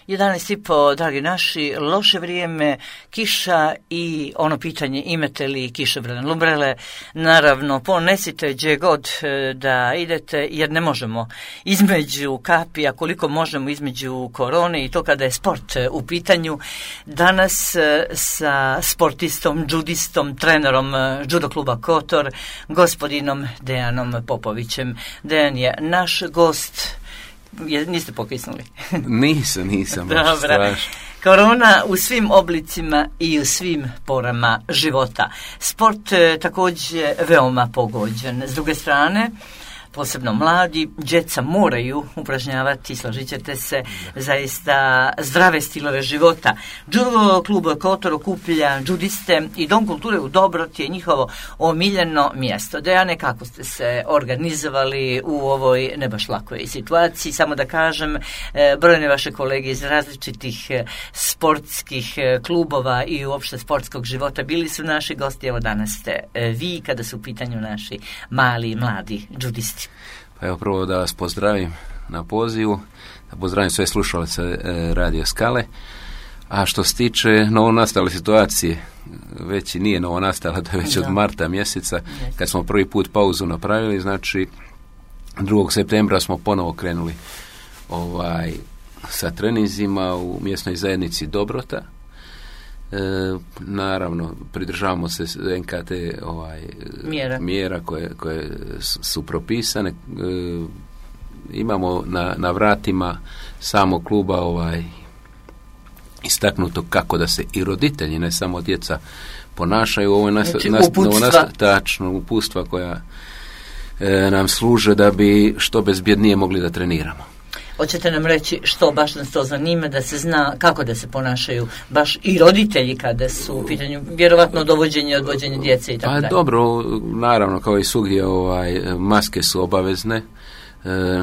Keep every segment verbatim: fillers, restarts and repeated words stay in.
jedanaest i po, dragi naši, loše vrijeme, kiša i ono pitanje imate li kišobran lumbrele. Naravno, ponesite gdje god da idete, jer ne možemo između kapija, koliko možemo između korone i to kada je sport u pitanju. Danas sa sportistom, judistom, trenerom judo kluba Kotor, gospodinom Dejanom Popovićem. Dejan je naš gost. Je, niste pokisnuli? Nisam, nisam. Dobra. Korona u svim oblicima i u svim porama života. Sport e, također veoma pogođen. S druge strane, posebno mladi, djeca moraju upražnjavati, složit ćete se, zaista zdrave stilove života. Judo klub Kotor okuplja judiste i Dom kulture u Dobroti je njihovo omiljeno mjesto. Dejane, kako ste se organizovali u ovoj ne baš lakoj situaciji? Samo da kažem, brojne vaše kolege iz različitih sportskih klubova i uopšte sportskog života bili su naši gosti. Evo danas ste vi, kada su u pitanju naši mali, mladi judisti. Pa evo prvo da vas pozdravim na pozivu, da pozdravim sve slušalce e, Radio Skale, a što se tiče novonastale situacije, već i nije novonastala, to je već da. Od marta mjeseca, kad smo prvi put pauzu napravili, znači drugog septembra smo ponovo krenuli ovaj, sa treninzima u mjesnoj zajednici Dobrota. E, naravno, pridržavamo se en ka te ovaj, mjera, mjera koje, koje su propisane. E, imamo na, na vratima samog kluba ovaj, istaknuto kako da se i roditelji, ne samo djeca, ponašaju. Ovo je nas, znači, nas, uputstva. Tačno, uputstva koja e, nam služe da bi što bezbjednije mogli da treniramo. Hoćete nam reći što baš nas to zanima, da se zna kako da se ponašaju baš i roditelji kada su u pitanju vjerovatno dovođenje i odvođenje djece i tako dalje? Pa dobro, naravno kao i svugdje ovaj, maske su obavezne, e,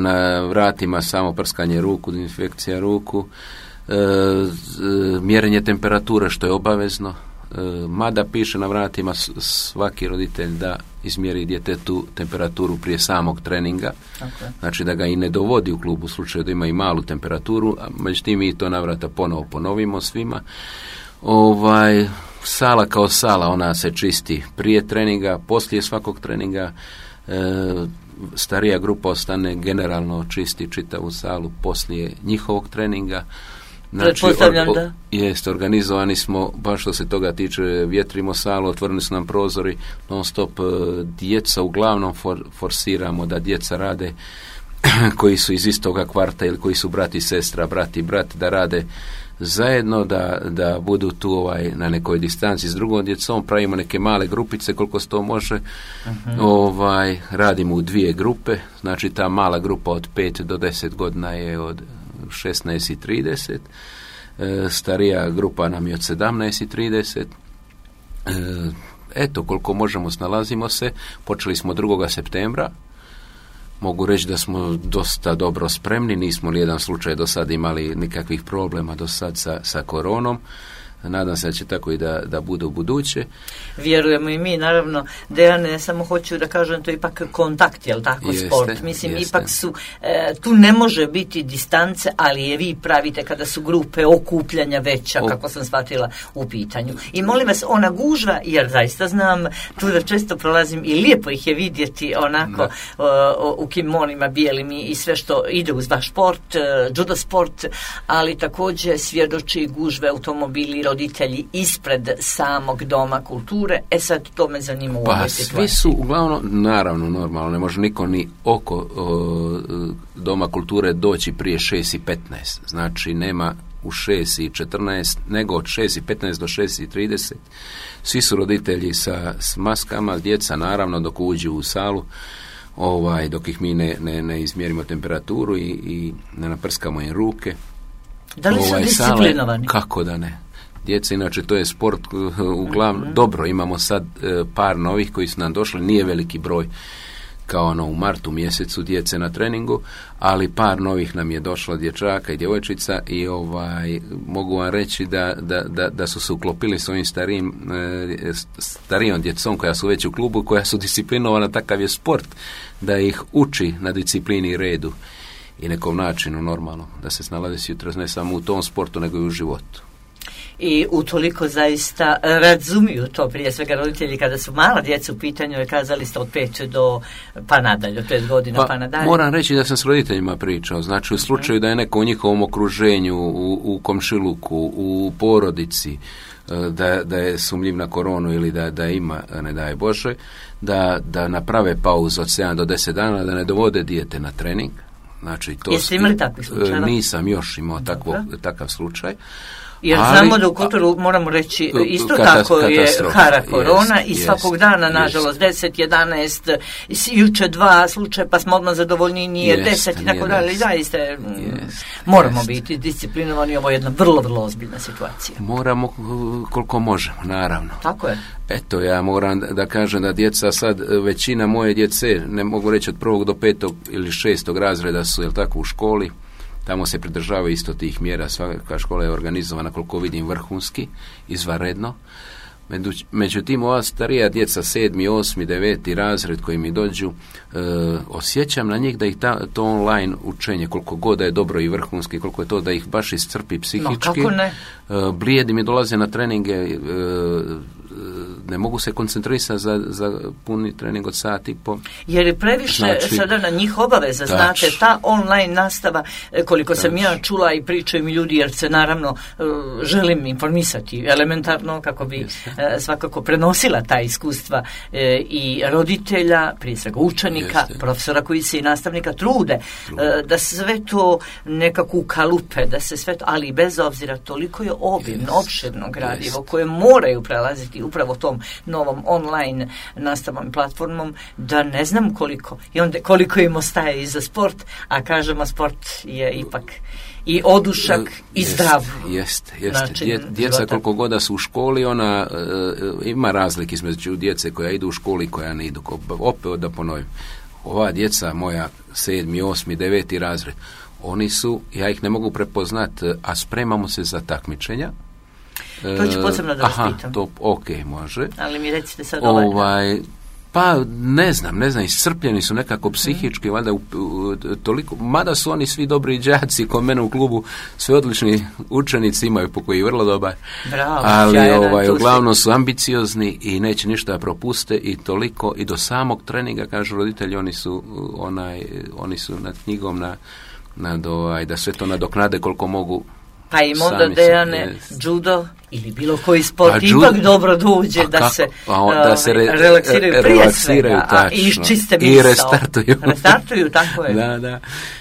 na vratima samo prskanje ruku, dezinfekcija ruku, e, mjerenje temperature što je obavezno, e, mada piše na vratima svaki roditelj da izmjeri djetetu temperaturu prije samog treninga, okay. Znači da ga i ne dovodi u klub u slučaju da ima i malu temperaturu, a međutim mi to na vrata ponovo ponovimo svima. Ovaj, sala kao sala, ona se čisti prije treninga, poslije svakog treninga, e, starija grupa ostane generalno čisti čitavu salu poslije njihovog treninga. Znači, Pretpostavljam da. Jeste, organizovani smo, baš što se toga tiče, vjetrimo salu, otvoreni su nam prozori, non stop, djeca uglavnom for, forsiramo da djeca rade koji su iz istoga kvarta ili koji su brat i sestra, brat i brat, da rade zajedno, da, da budu tu ovaj, na nekoj distanci s drugom djecom, pravimo neke male grupice koliko se to može, uh-huh. ovaj, radimo u dvije grupe, znači ta mala grupa od pet do deset godina je od šesnaest i trideset, e, starija grupa nam je od sedamnaest i trideset. E, eto, koliko možemo snalazimo se. Počeli smo drugog septembra. Mogu reći da smo dosta dobro spremni, nismo li jedan slučaj do sad imali nikakvih problema do sad sa, sa koronom. Nadam se da će tako i da, da bude u buduće. Vjerujemo i mi, naravno. Dejane, samo hoću da kažem, to je ipak kontakt, jel tako, jeste, sport? Mislim, jeste. Ipak su, e, tu ne može biti distance, ali je vi pravite kada su grupe okupljanja veća, o... kako sam shvatila, u pitanju. I molim vas, ona gužva, jer zaista znam, tu da često prolazim i lijepo ih je vidjeti onako o, u kimonima bijelim i sve što ide uz vaš sport, judo sport, ali također svjedoči gužve automobili, roditelji ispred samog Doma kulture. E sad, to me zanima u ovoj pa, situaciji. Svi su uglavnom, naravno, normalno, ne može niko ni oko o, Doma kulture doći prije šest i petnaest. Znači, nema u šest i četrnaest, nego od šest i petnaest do šest i trideset. Svi su roditelji sa s maskama, djeca, naravno, dok uđu u salu, ovaj, dok ih mi ne, ne, ne izmjerimo temperaturu i, i ne naprskamo im ruke. Da li su ovaj, disciplinovani? Sale, kako da ne? Djeca, inače, to je sport uglavnom, mm-hmm. dobro, imamo sad e, par novih koji su nam došli, nije veliki broj kao ono u martu mjesecu djece na treningu, ali par novih nam je došlo, dječaka i djevojčica, i ovaj, mogu vam reći da, da, da, da su se uklopili s ovim starijim, e, starijom djecom koja su već u klubu, koja su disciplinovana, takav je sport, da ih uči na disciplini i redu. i nekom načinu normalno da se snalaze sutra ne samo u tom sportu nego i u životu. I utoliko zaista razumiju to, prije svega roditelji kada su mala djeca u pitanju, je kazali ste od pet do pa nadalje, od pet godina pa, pa nadalje. Moram reći da sam s roditeljima pričao, znači u slučaju da je neko u njihovom okruženju, u, u komšiluku, u porodici, da, da je sumnjiv na koronu ili da, da ima, ne daj Bože, da, da naprave pauzu od sedam do deset dana, da ne dovode dijete na trening. Znači, to Jeste imali takvih slučajeva? Nisam još imao takvo, takav slučaj. Jer ali, znamo da u Kotoru, moramo reći, isto katas, tako je hara korona jest, i svakog jest, dana, nažalost, deset, jedanaest, juče dva slučaja, pa smo odmah zadovoljni, nije deset i tako dalje. Zaista moramo jest. biti disciplinovani, ovo je jedna vrlo, vrlo ozbiljna situacija. Moramo koliko možemo, naravno. Tako je. Eto, ja moram da kažem da djeca sad, većina moje djece, ne mogu reći od prvog do petog ili šestog razreda su, jel tako, u školi. Tamo se pridržava isto tih mjera, svaka škola je organizovana, koliko vidim, vrhunski, izvanredno. Međutim, ova starija djeca, sedmi, osmi, deveti razred koji mi dođu, e, osjećam na njih da ih ta, to online učenje, koliko god da je dobro i vrhunski, koliko je to da ih baš iscrpi psihički. No, kako ne? E, blijedi mi dolaze na treninge, e, ne mogu se koncentrisati za, za puni trening od sat i po. Jer je previše znači, sada na njih obaveza, tač, znate, ta online nastava, koliko tač. sam ja čula i pričaju mi ljudi, jer se naravno želim informisati elementarno kako bi Jeste. svakako prenosila ta iskustva i roditelja, prije svega učenika, Jeste. profesora koji se i nastavnika trude, trude, da sve to nekako ukalupe, da se sve to, ali bez obzira toliko je obimno, opširno gradivo koje moraju prelaziti upravo tom novom online nastavnom platformom, da ne znam koliko i onda koliko im ostaje i za sport, a kažemo sport je ipak i odušak uh, i jest, zdrav. Jeste, jeste. Dje, djeca koliko god da su u školi, ona uh, ima razlike između djece koja idu u školi i koja ne idu. Opet da ponovim, ova djeca moja sedmi, osmi, deveti razred, oni su, ja ih ne mogu prepoznati, a spremamo se za takmičenja. To ću posebno da vas Aha, pitam. to, ok, može. Ali mi recite sad ovaj... ovaj pa ne znam, ne znam, iscrpljeni su nekako psihički, mm. valjda u, u, toliko, mada su oni svi dobri đaci, kod mene u klubu sve odlični učenici imaju po koji je vrlo dobar. Bravo, ali ovaj, uglavnom su ambiciozni i neće ništa propuste i toliko i do samog treninga, kažu roditelji, oni su onaj, oni su nad knjigom na, nad ovaj, da sve to nadoknade koliko mogu. Pa im onda Dejane, judo ili bilo koji sport pa, ipak judo, dobro dođe da kako? se, a, da se re, relaksiraju prije relaksiraju, svega a, i čiste misao. I restartuju. Restartuju, tako je. Da, da.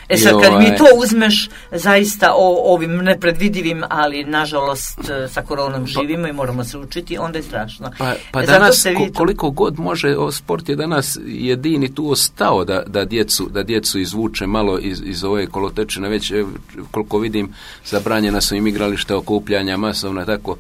E sad, kad mi to uzmeš zaista o ovim nepredvidivim, ali nažalost sa koronom živimo i moramo se učiti, onda je strašno. Pa, pa e, danas se ko, koliko god može, o, sport je danas jedini tu ostao da, da, djecu, da djecu izvuče malo iz, iz ove kolotečine, već koliko vidim zabranjena su im igrališta, okupljanja masovna, tako.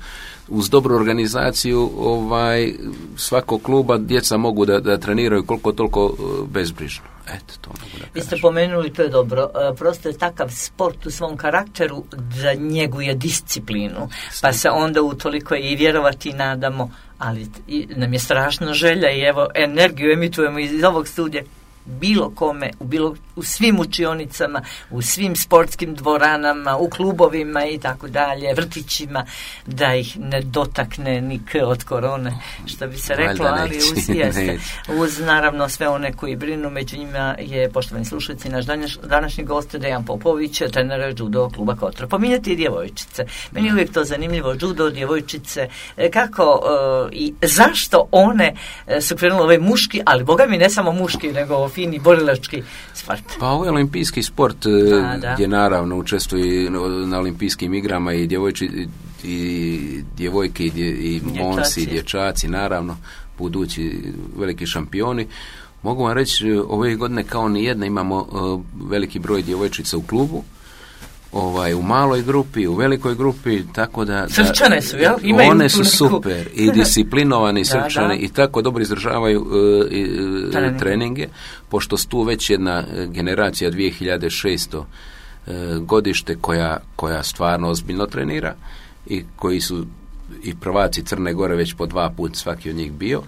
Uz dobru organizaciju ovaj, svakog kluba djeca mogu da, da treniraju koliko toliko bezbrižno. Eto, to mogu da kažem. Vi ste pomenuli, to je dobro, prosto je takav sport u svom karakteru da njeguje disciplinu, pa se onda utoliko i vjerovati nadamo, ali i, nam je strašno želja i evo energiju emitujemo iz ovog studija bilo kome, u, bilo, u svim učionicama, u svim sportskim dvoranama, u klubovima i tako dalje, vrtićima, da ih ne dotakne ni k od korone, što bi se reklo, ali uz, jeste, uz naravno sve one koji brinu, među njima je, poštovani slušalci, naš današ, današnji gost Dejan Popović, trener judo kluba Kotor. Pominjati i djevojčice. Meni je uvijek to zanimljivo, judo, djevojčice, kako uh, i zašto one uh, su krenule ovaj muški, ali boga mi ne samo muški, nego fini borilački sport. Pa ovo je olimpijski sport da, da. gdje naravno učestvuju na olimpijskim igrama i djevojči i djevojke i, dje, i momci i dječaci, naravno budući veliki šampioni. Mogu vam reći, ove godine kao ni jedna imamo uh, veliki broj djevojčica u klubu, ovaj, u maloj grupi, u velikoj grupi, tako da... Srčane su, jel? Imaju one su super i disciplinovani da, srčane da. i tako dobro izražavaju uh, uh, treninge. treninge, pošto su tu već jedna generacija dvije hiljade šeste uh, godište koja, koja stvarno ozbiljno trenira i koji su i prvaci Crne Gore već po dva puta svaki od njih bio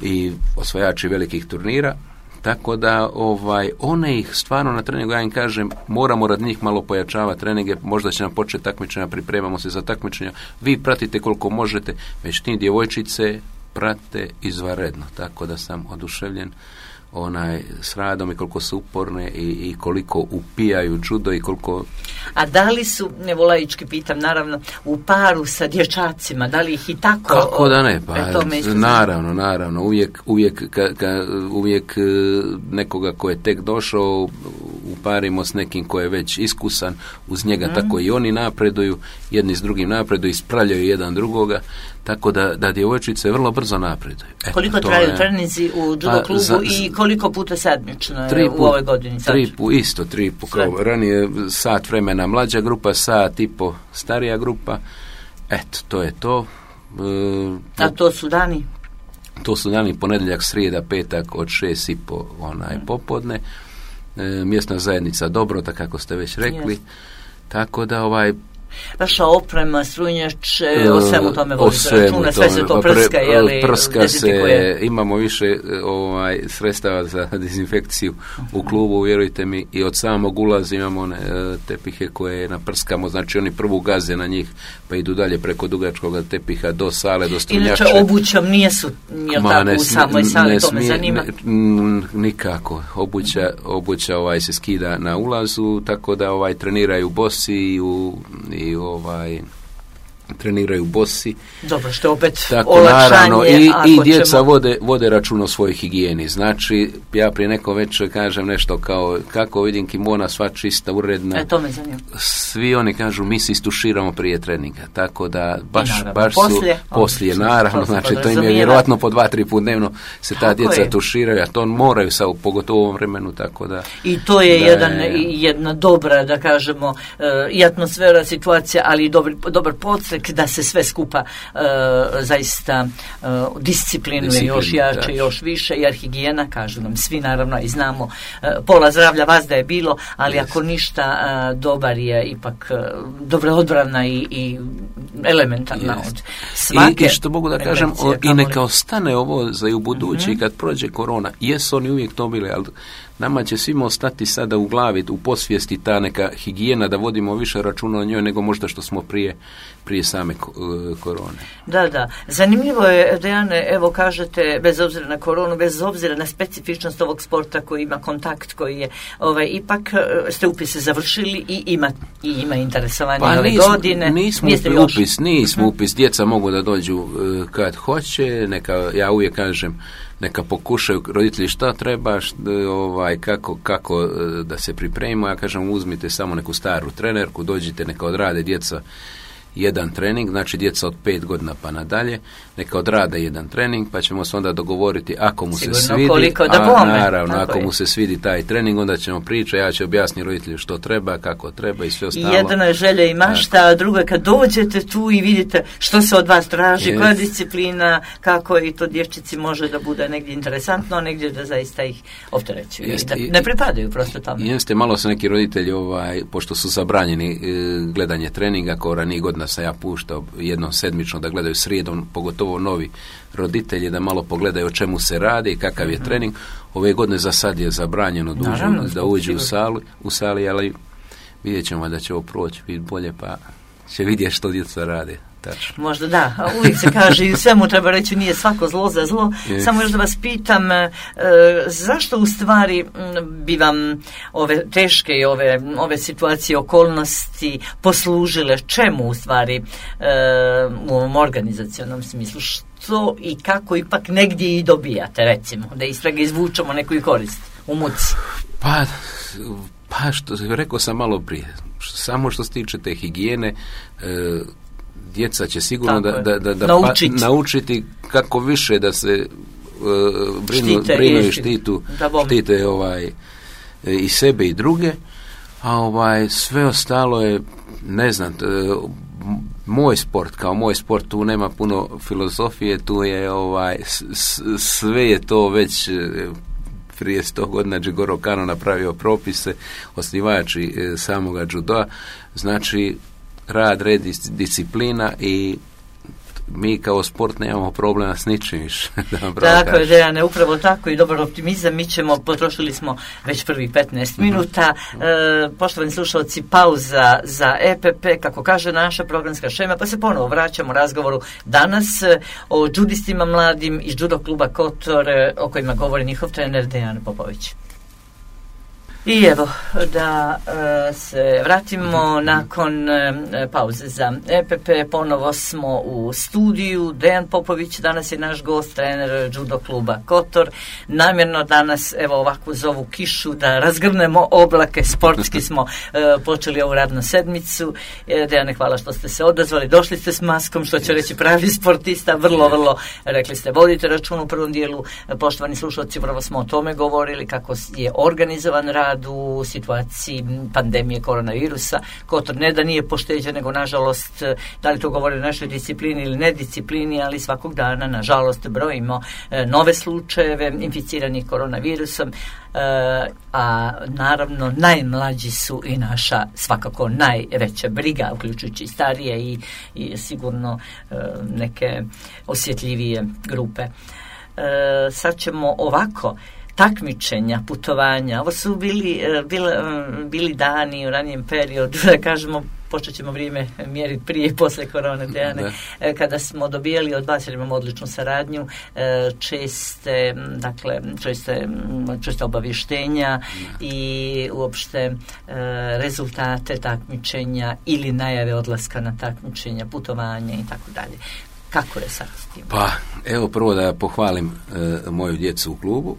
i osvajači velikih turnira, Tako da ovaj, one ih stvarno na treningu, ja im kažem, moramo rad njih malo pojačavati treninge, možda će nam početi takmičenja, pripremamo se za takmičenja, vi pratite koliko možete, već ti djevojčice prate izvanredno, tako da sam oduševljen onaj s radom i koliko su uporne i, i koliko upijaju judo i koliko... A da li su, evo laički pitam, naravno, u paru sa dječacima, da li ih i tako... Kako da ne, pa e, naravno, naravno, uvijek, uvijek, ka, ka, uvijek nekoga ko je tek došao uparimo s nekim ko je već iskusan, uz njega mm. tako i oni napreduju, jedni s drugim napreduju, ispravljaju jedan drugoga, tako da, da djevojčice vrlo brzo napreduju. Eto, koliko traju je, treninzi u judo pa, klubu za, i koliko puta sedmično tri u ovoj godini? Sad? Tri pu, isto, tri pu, kao ranije sat vremena mlađa grupa, sat i po starija grupa. Eto, to je to. E, A to su dani? To su dani ponedjeljak, srijeda, petak od šest i po onaj mm. popodne. E, mjesna zajednica Dobrota, kako ste već rekli. Yes. Tako da ovaj vaša oprema, strunjač, o svemu tome vodite računa, sve se to prska, je li prska se, imamo više ovaj, sredstava za dezinfekciju u klubu, vjerujte mi, i od samog ulaza imamo one tepihe koje naprskamo, znači oni prvu gaze na njih, pa idu dalje preko dugačkog tepiha do sale, do strunjača. Inače obućom nije su, jel tako, ne, u samoj sali, to me zanima? Ne, nikako, obuća, obuća ovaj, se skida na ulazu, tako da ovaj, treniraju bosi i u i ovaj treniraju bosi. Dobro, što opet tako, olakšanje. Naravno, i, i djeca ćemo... vode, vode račun o svojoj higijeni. Znači, ja prije neko već kažem nešto kao, kako vidim kimona sva čista, uredna. E, to me zanima. Svi oni kažu, mi se istuširamo prije treninga. Tako da, baš, naravno, baš su poslije, poslije, on, naravno, znači, to im je vjerojatno po dva, tri put dnevno se ta tako djeca je. tuširaju, a to moraju sa, pogotovo u ovom vremenu, tako da... I to je, da, jedan, jedna dobra, da kažemo, i atmosfera, situacija, ali i dobar, dobar podstrek da se sve skupa uh, zaista uh, disciplinuje još jače, da. još više, jer higijena, kažu nam svi naravno i znamo, uh, pola zdravlja vas da je bilo, ali yes. ako ništa, uh, dobar je ipak uh, dobra odbrana i, i elementarna yes. od svake. I, i što mogu da kažem, o, i neka ostane ovo za i u budući, mm-hmm. kad prođe korona, jesu oni uvijek to bili, ali nama će svima ostati sada u glavi, u posvijesti ta neka higijena, da vodimo više računa o njoj nego možda što smo prije, prije same uh, korone. Da, da. Zanimljivo je, Dejane, evo kažete, bez obzira na koronu, bez obzira na specifičnost ovog sporta koji ima kontakt, koji je, ovaj, ipak ste upise završili i ima, i ima interesovanje pa ove nismo, godine. Nismo upis, nismo uh-huh. upis, djeca mogu da dođu uh, kad hoće, neka, ja uvijek kažem, neka pokušaju roditelji šta treba, šta, ovaj, kako, kako da se pripremimo. Ja kažem, uzmite samo neku staru trenerku, dođite, neka odrade djeca jedan trening, znači djeca od pet godina pa nadalje, neka odrade jedan trening, pa ćemo se onda dogovoriti ako mu sigurno se svidi, koliko da a naravno, tako ako je. mu se svidi taj trening, onda ćemo pričati, ja ću objasniti roditelju što treba, kako treba i sve ostalo. Jedna je želja i mašta, a druga kad dođete tu i vidite što se od vas traži, yes. koja disciplina, kako i to dječčici može da bude negdje interesantno, negdje da zaista ih opterećuju, yes. da ne pripadaju prosto tamo. Jeste, malo su neki roditelji, ovaj, pošto su zabranjeni e, gledanje treninga, kao ranije godina sam ja puštao jednom sedmično da gledaju srijedom, pogotovo novi roditelji, da malo pogledaju o čemu se radi i kakav je trening. Ove godine za sad je zabranjeno dužno Naravno, da uđu u sali, u sali, ali vidjet ćemo da će ovo proći, biti bolje, pa će vidjeti što djeca rade. Tačno. Možda da, a uvijek se kaže i u svemu treba reći nije svako zlo za zlo. Yes. Samo još da vas pitam, e, zašto u stvari bi vam ove teške i ove, ove situacije, okolnosti poslužile, čemu u stvari e, u ovom organizacionom smislu, što i kako ipak negdje i dobijate, recimo, da iz svega izvučemo neku i korist u muci? Pa, pa što, rekao sam malo prije, samo što se tiče te higijene, e, djeca će sigurno da, da, da, da naučiti. Pa, naučiti kako više da se uh, brinu, štite, brinu i štitu, štite ovaj, i sebe i druge, a ovaj, sve ostalo je, ne znam, t, moj sport, kao moj sport, tu nema puno filozofije, tu je ovaj, s, sve je to već prije sto godina Jigoro Kano napravio propise, osnivači e, samoga judoa, znači rad, red, disciplina i mi kao sport nemamo problema s ničim više. Tako je, Dejane, upravo tako i dobar optimizam. Mi ćemo, potrošili smo već prvi petnaest minuta. Mm-hmm. E, poštovani slušalci, pauza za E P P, kako kaže naša programska šema, pa se ponovo vraćamo razgovoru danas o džudistima mladim iz Judo kluba Kotor, o kojima govori njihov trener Dejan Popović. I evo, da e, se vratimo nakon e, pauze za E P P. Ponovo smo u studiju. Dejan Popović danas je naš gost, trener Judo kluba Kotor. Namjerno danas, evo ovako uz ovu kišu, da razgrnemo oblake, sportski smo e, počeli ovu radnu sedmicu. E, Dejane, hvala što ste se odazvali. Došli ste s maskom, što će reći pravi sportista. Vrlo, vrlo, rekli ste, vodite račun u prvom dijelu. Poštovani slušalci, upravo smo o tome govorili, kako je organizovan rad u situaciji pandemije koronavirusa. Kotor ne da nije pošteđen, nego nažalost, da li to govori o našoj disciplini ili nedisciplini, ali svakog dana nažalost brojimo e, nove slučajeve inficiranih koronavirusom, e, a naravno najmlađi su i naša svakako najveća briga, uključujući i starije i, i sigurno e, neke osjetljivije grupe. E, sad ćemo ovako takmičenja, putovanja. Ovo su bili, bili, bili dani u ranijem periodu, da kažemo, počet ćemo vrijeme mjeriti prije i posle korone, Dejane, kada smo dobijali od vas, jer imamo odličnu saradnju, česte, dakle, česte, česte obavještenja i uopšte rezultate takmičenja ili najave odlaska na takmičenja, putovanja i tako dalje. Kako je sad s tim? Pa, evo prvo da pohvalim e, moju djecu u klubu.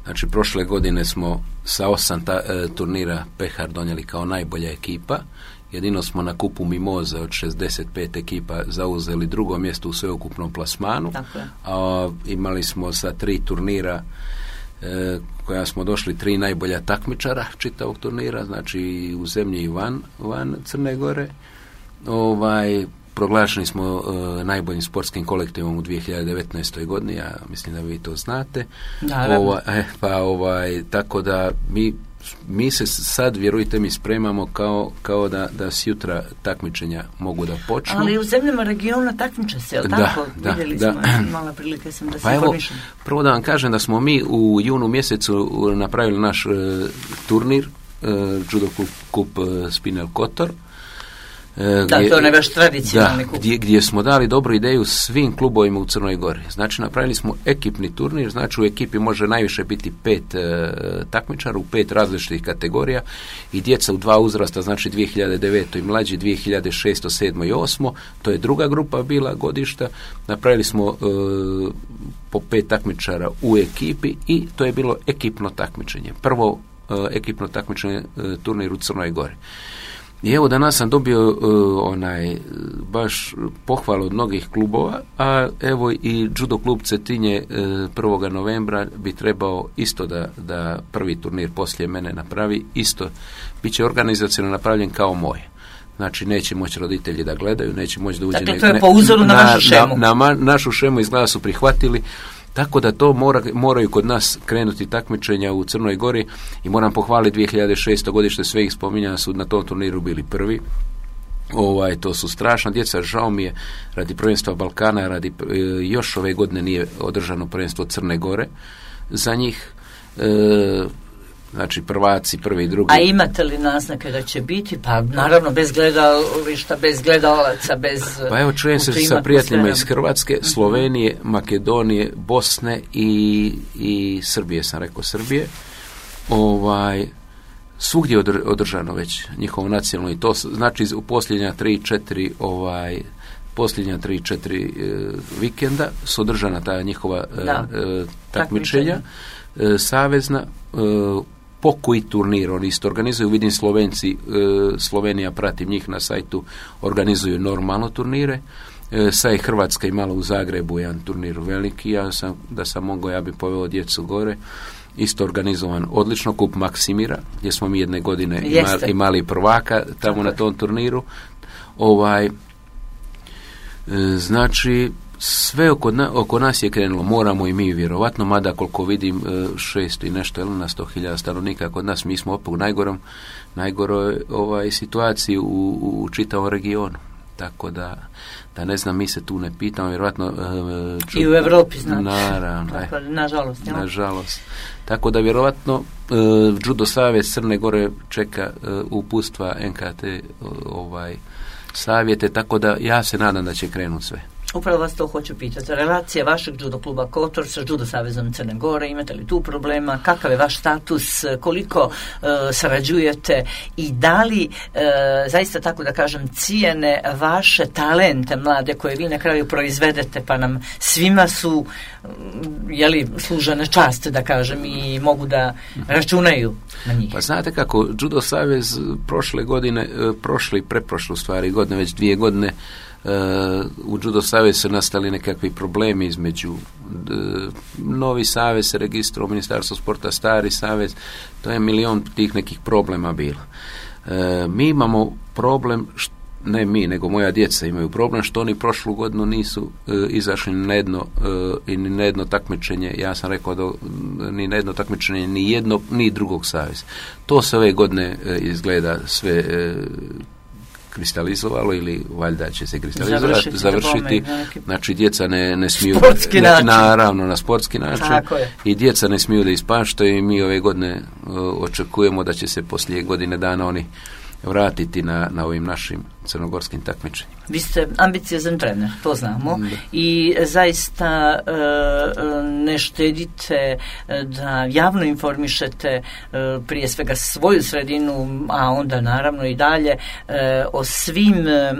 Znači, prošle godine smo sa osam ta, e, turnira Pehar donijeli kao najbolja ekipa. Jedino smo na kupu Mimoze od šezdeset pet ekipa zauzeli drugo mjesto u sveukupnom plasmanu. A imali smo sa tri turnira e, koja smo došli tri najbolja takmičara čitavog turnira, znači u zemlji i van, van Crne Gore. Ovaj... Proglašeni smo uh, najboljim sportskim kolektivom u dvije hiljade devetnaestoj godini, ja mislim da vi to znate. Ova, eh, pa ovaj, tako da mi, mi se sad, vjerujte mi, spremamo kao, kao da, da sjutra takmičenja mogu da počnu. Ali u zemljama regiona takmiče se, jel tako? Da, Vidjeli da, smo, da. mala prilike sam da se pa informišem. Prvo da vam kažem da smo mi u junu mjesecu napravili naš uh, turnir, uh, Judo Kup, kup uh, Spinel Kotor. Da, gdje, to je vaš tradicionalni kup. Gdje, gdje smo dali dobru ideju svim klubovima u Crnoj Gori. Znači, napravili smo ekipni turnir, znači u ekipi može najviše biti pet e, takmičara u pet različitih kategorija i djeca u dva uzrasta, znači dvije hiljade devet i mlađi, dvije hiljade šest, sedam i osam. To je druga grupa bila godišta. Napravili smo e, po pet takmičara u ekipi i to je bilo ekipno takmičenje. Prvo e, ekipno takmičenje e, turnir u Crnoj Gori. I evo danas sam dobio uh, onaj baš pohvalu od mnogih klubova, a evo i Judo klub Cetinje uh, prvog novembra bi trebao isto da, da prvi turnir poslije mene napravi, isto bit će organizacijno napravljen kao moje. Znači neće moći roditelji da gledaju, neće moći da uđe... Dakle, to je po uzoru na, na vašu šemu. Na, na, na našu šemu izgleda su prihvatili. Tako da to mora, moraju kod nas krenuti takmičenja u Crnoj Gori i moram pohvaliti dvije hiljade šeste godište, sve ih spominjanja su na tom turniru bili prvi. Ovaj, to su strašna djeca, žao mi je radi prvenstva Balkana, radi, e, još ove godine nije održano prvenstvo Crne Gore za njih. E, znači prvaci, prvi i drugi. A imate li naznake da će biti? Pa naravno bez gledališta, bez gledalaca, bez... Pa evo čujem se sa prijateljima iz Hrvatske, Slovenije, Makedonije, Bosne i, i Srbije, sam rekao Srbije. Ovaj, svugdje je održano već njihovo nacionalno i to znači u posljednja tri četiri ovaj, posljednja tri četiri e, vikenda su održana ta njihova e, e, takmičenja e, savezna e, pokoji turnir, oni isto organizuju, vidim Slovenci, e, Slovenija, pratim njih na sajtu, organizuju normalno turnire, e, sad je Hrvatska imala u Zagrebu jedan turnir veliki, ja sam, da sam mogao, ja bi poveo djecu gore, isto organizovan odlično, kup Maksimira, gdje smo mi jedne godine imali, imali prvaka tamo Tako. na tom turniru, ovaj, e, znači, sve oko, na, oko nas je krenulo, moramo i mi vjerovatno, mada koliko vidim šest i nešto ili na sto hiljada stanovnika kod nas, mi smo opet u najgorom, najgoroj ovaj, situaciji u, u čitavom regionu. tako da, da ne znam, mi se tu ne pitamo, vjerojatno... Uh, ču... I u Europi, znači. Naravno. Tako, nažalost. Ja. Nažalost. Tako da, vjerojatno, uh, Judo Savez Crne Gore čeka uh, uputstva N K T uh, ovaj, savjete, tako da ja se nadam da će krenuti sve. Upravo vas to hoću pitati. Relacija vašeg judo kluba Kotor sa Judo Savezom Crne Gore, imate li tu problema? Kakav je vaš status? Koliko uh, sarađujete? I da li, uh, zaista tako da kažem, cijene vaše talente mlade koje vi na kraju proizvedete, pa nam svima su jeli, služene čast, da kažem, i mogu da računaju na njih? Pa znate kako, Judo Savez prošle godine, prošle i preprošle stvari godine, već dvije godine, Uh, u Judo Savez su nastali nekakvi problemi između uh, novi savez se registrao u Ministarstvu sporta, stari savez, to je milion tih nekih problema bilo. Uh, mi imamo problem, št, ne mi, nego moja djeca imaju problem što oni prošlu godinu nisu uh, izašli na jedno uh, i ni na jedno takmičenje, ja sam rekao da ni na jedno takmičenje ni jedno, ni drugog saveza. To se ove godine uh, izgleda sve uh, kristalizovalo ili valjda će se kristalizovati, završiti, završiti. Neki... znači djeca ne, ne smiju sportski ne, način. Naravno na sportski način i djeca ne smiju da ispaštaju i mi ove godine uh, očekujemo da će se poslije godine dana oni vratiti na, na ovim našim crnogorskim takmičenjima. Vi ste ambiciozan trener, to znamo, da. I zaista e, ne štedite da javno informišete e, prije svega svoju sredinu, a onda naravno i dalje e, o svim e,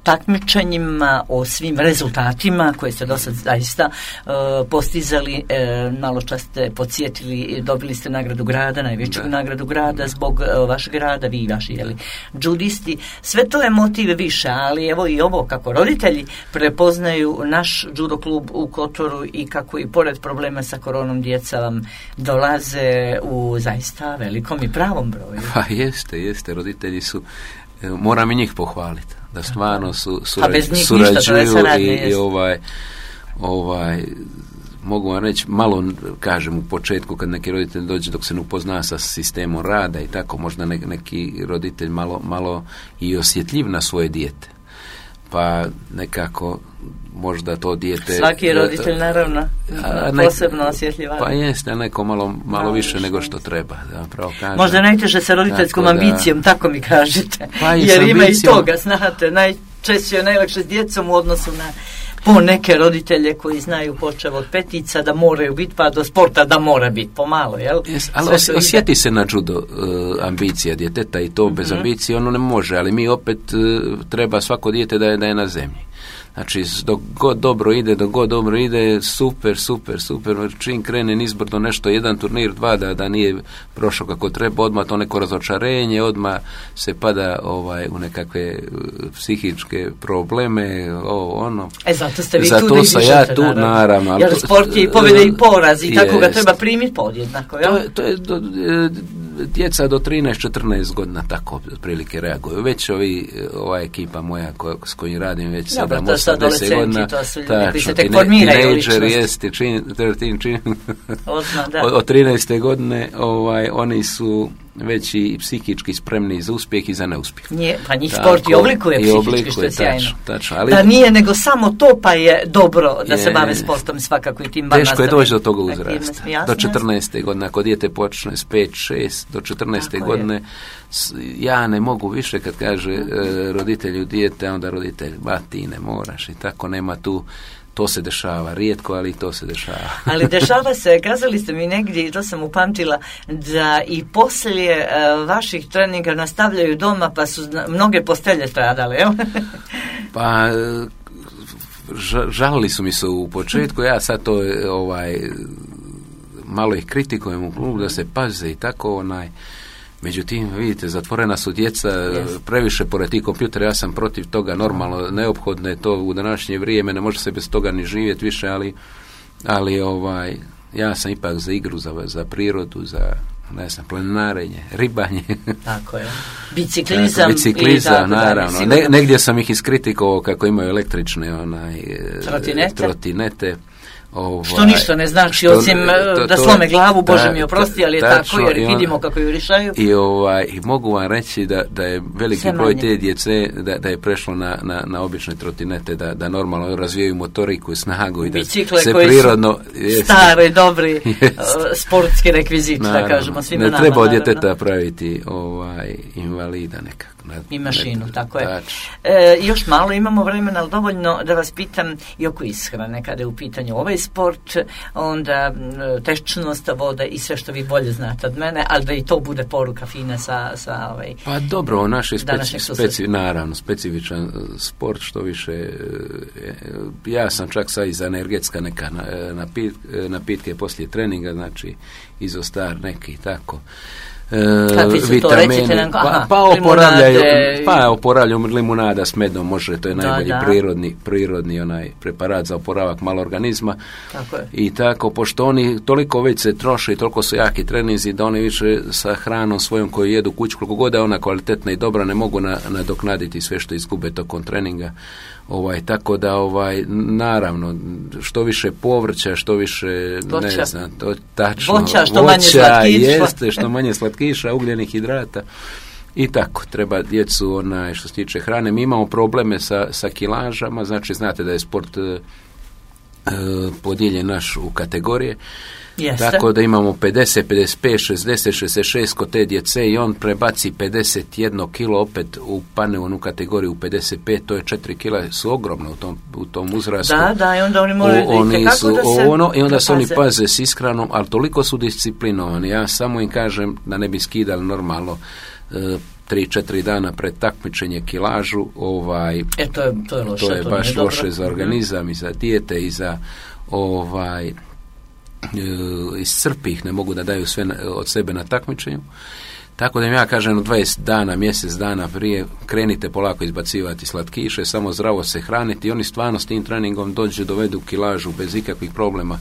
takmičenjima, o svim rezultatima koje ste do sad zaista e, postizali. E, malo čas ste podsjetili, dobili ste nagradu grada, najveću da. nagradu grada da. zbog e, vašeg grada, vi i vaši jeli, judisti. Sve to je motiv više, ali evo i ovo kako roditelji prepoznaju naš judo klub u Kotoru i kako i pored problema sa koronom djeca vam dolaze u zaista velikom i pravom broju. Pa jeste, jeste, roditelji su, moram i njih pohvaliti, da stvarno su, surađ, surađuju i, i ovaj, ovaj mogu vam reći, malo kažem u početku kad neki roditelj dođe dok se ne upozna sa sistemom rada i tako, možda ne, neki roditelj malo, malo i osjetljiv na svoje dijete. Pa nekako možda to dijete... Svaki roditelj naravno a, ne, posebno osjetljiv. Pa jeste, neko malo, malo više nego što treba. Zapravo kažem. Možda najteže sa roditeljskom ambicijom, da, tako mi kažete. Pa jer ima ambicijom, i toga, znate, najčešće je najlakše s djecom u odnosu na po neke roditelje koji znaju počev od petica da moraju biti, pa do sporta da mora biti pomalo, jel? Yes, ali os, osjeti se na judo uh, ambicija djeteta i to mm-hmm. bez ambicije ono ne može, ali mi opet uh, treba svako dijete da je, da je na zemlji. Znači, dok god dobro ide, dok god dobro ide, super, super, super. Čim krene nizbrdo nešto, jedan turnir, dva, da, da nije prošao kako treba, odmah to neko razočarenje, odmah se pada ovaj, u nekakve psihičke probleme, ovo, ono. E, zato ste vi zato tu da sam ja tu, naravno. naravno Jer sport je i pobjeda i poraz i tako ga treba primiti podjednako, jel? To je, to je do, djeca do trinaest četrnaest godina tako otprilike reaguju. Već ovi, ova ekipa moja ko, s kojim radim već sedam osam deset godina, to su ljudi koji se tek formiraju ličnosti. Jeste, čin, čin, čin, od, od trinaeste godine ovaj, oni su već i psihički spremni za uspjeh i za neuspjeh. Nije, pa njih tako, sport i oblikuje psihički, oblikuje, što je sjajno. Tačno, tačno, ali, da nije nego samo to, pa je dobro da je, se bave sportom svakako i tim teško je doći do toga uzrasta. Do četrnaeste godine, ako dijete počne s pet šest, do četrnaeste godine, s, ja ne mogu više kad kaže e, roditelju dijete, onda roditelj, ba ti ne moraš i tako, nema tu. To se dešava, rijetko, ali to se dešava. Ali dešava se, kazali ste mi negdje, i to sam upamtila, da i poslije uh, vaših treninga nastavljaju doma, pa su mnoge postelje stradale, jel? Pa, žalili su mi se u početku, ja sad to ovaj, malo ih kritikujem u klubu da se paze i tako, onaj, međutim, vidite, zatvorena su djeca, yes. previše pored tih kompjutera, ja sam protiv toga, normalno, neophodno je to u današnje vrijeme, ne može se bez toga ni živjeti više, ali, ali ovaj, ja sam ipak za igru, za, za prirodu, za, ne znam, planinarenje, ribanje. Tako je. Biciklizam. Biciklizam, tako, naravno. Da, ne, negdje sam ih iskritikovao kako imaju električne onaj, trotinete. trotinete. Ovaj, što ništa ne znači, što, osim to, da slome glavu, Bože ta, mi oprosti, ali je tačno, tako, jer vidimo kako ju rješaju. I, ovaj, i mogu vam reći da, da je veliki broj te djece, da, da je prešlo na, na, na obične trotinete, da, da normalno razvijaju motoriku i snagu i da bicikle se koji prirodno... Su stare, dobri sportski rekvizit, da kažemo svima nama. Ne treba od djeteta praviti ovaj, invalida nekako. I mašinu, tako je. E, još malo imamo vremena, ali dovoljno da vas pitam i oko ishrane, kada je u pitanju ovaj sport, onda tečnost, voda i sve što vi bolje znate od mene, ali da i to bude poruka fina sa, sa ovaj... Pa dobro, naš je speci, speci, naravno, specifičan sport, što više, ja sam čak sad iz energetska neka napit, napitke poslije treninga, znači izostar neki, tako. Uh, vitamini, nam, aha, pa, pa oporavljaju, pa oporavljaju limunada s medom, može, to je najbolji da, da. prirodni, prirodni onaj preparat za oporavak malo organizma. Tako je. I tako, pošto oni toliko već se troše i toliko su jaki treninzi da oni više sa hranom svojom koju jedu kuću, koliko god je ona kvalitetna i dobra, ne mogu na, nadoknaditi sve što izgube tokom treninga. Ovaj, tako da, ovaj, naravno, što više povrća, što više, voća. ne znam, to tačno, voća, što voća, manje slatkiša. Jeste, što manje slatkiša, ugljenih hidrata. I tako, treba djecu, onaj, što se tiče hrane. Mi imamo probleme sa, sa kilažama, znači, znate da je sport e, podijeljen naš u kategorije. Jeste. Tako da imamo pedeset, pedeset pet, šezdeset, šezdeset šest kod te djece i on prebaci pedeset jedno kilo opet u pane u kategoriju pedeset pet, to je četiri kila, su ogromno u tom, u tom uzrastu. Da, da, i onda oni moraju o, oni su, da se ono, i onda se oni paze s ishranom, ali toliko su disciplinovani. Ja samo im kažem da ne bi skidali normalno e, tri, četiri dana pred takmičenje kilažu, ovaj, e, to je, to je, loše, to je to baš loše dobro. Za organizam i za dijete i za ovaj iscrpi ih, ne mogu da daju sve od sebe na takmičenju. Tako da im ja kažem, dvadeset dana, mjesec dana prije krenite polako izbacivati slatkiše, samo zdravo se hraniti i oni stvarno s tim treningom dođu, dovedu kilažu bez ikakvih problema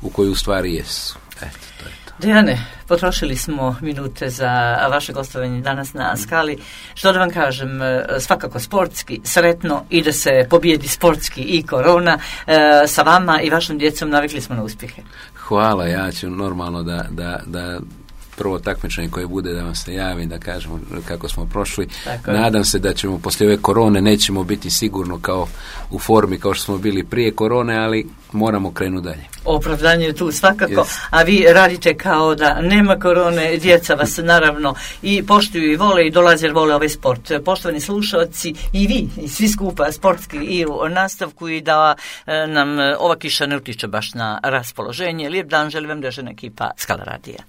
u koju u stvari jesu. Eto, to je to. Dejane, potrošili smo minute za vaše gostovanje danas na Skali. Što da vam kažem, svakako sportski, sretno i da se pobijedi sportski i korona. E, sa vama i vašom djecom navikli smo na uspjehe. Hvala, ja ću normalno da, da, da prvo takmičenje koje bude da vam se javim, da kažemo kako smo prošli. Tako Nadam je. se da ćemo poslije ove korone nećemo biti sigurno kao u formi kao što smo bili prije korone, ali moramo krenuti dalje. Opravdanje je tu svakako, yes. A vi radite kao da nema korone, djeca vas naravno i poštuju i vole i dolaze jer vole ovaj sport. Poštovani slušalci i vi, i svi skupa sportski i u nastavku i da nam ova kiša ne utiče baš na raspoloženje. Lijep dan, želim vam državna ekipa Skala radija.